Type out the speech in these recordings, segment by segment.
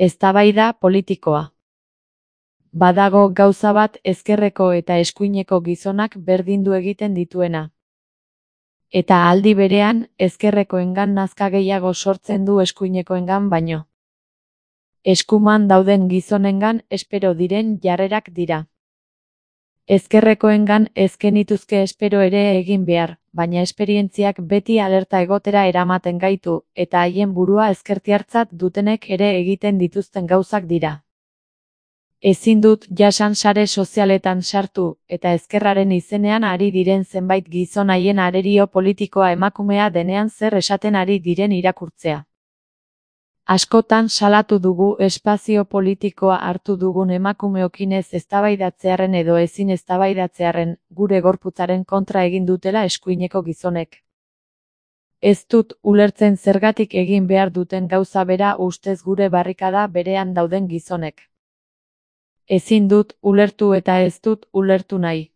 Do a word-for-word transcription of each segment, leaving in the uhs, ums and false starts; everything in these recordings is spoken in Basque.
Eztabaida politikoa. Badago gauza bat ezkerreko eta eskuineko gizonak berdindu egiten dituena. Eta aldi berean, ezkerrekoengan nazka gehiago sortzen du eskuinekoengan baino. Eskuman dauden gizonengan espero diren jarrerak dira. Ezkerrekoengan ez genituzke espero ere egin behar, baina esperientziak beti alerta egotera eramaten gaitu, eta haien burua ezkertiartzat dutenek ere egiten dituzten gauzak dira. Ezin dut jasan sare sozialetan sartu, eta ezkerraren izenean ari diren zenbait gizon haien arerio politikoa emakumea denean zer esaten ari diren irakurtzea. Askotan salatu dugu espazio politikoa hartu dugun emakumeokin ez eztabaidatzearren edo ezin eztabaidatzearren, gure gorputzaren kontra egin dutela eskuineko gizonek. Ez dut ulertzen zergatik egin behar duten gauza bera ustez gure barrikada berean dauden gizonek. Ezin dut ulertu eta ez dut ulertu nahi.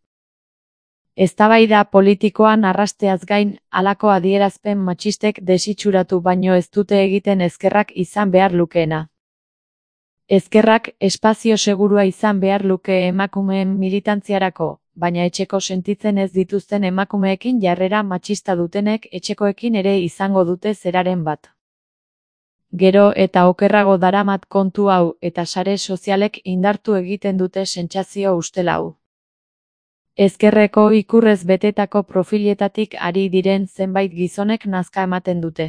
Eztabaida politikoan arrasteaz gain, halako adierazpen matxistek desitxuratu baino ez dute egiten ezkerrak izan behar lukeena. Ezkerrak espazio segurua izan behar luke emakumeen militantziarako, baina etxeko sentitzen ez dituzten emakumeekin jarrera matxista dutenek etxekoekin ere izango dute zeraren bat. Gero eta okerrago daramat kontu hau eta sare sozialek indartu egiten dute sentsazio ustelau. Ezkerreko ikurrez betetako profiletatik ari diren zenbait gizonek nazka ematen dute.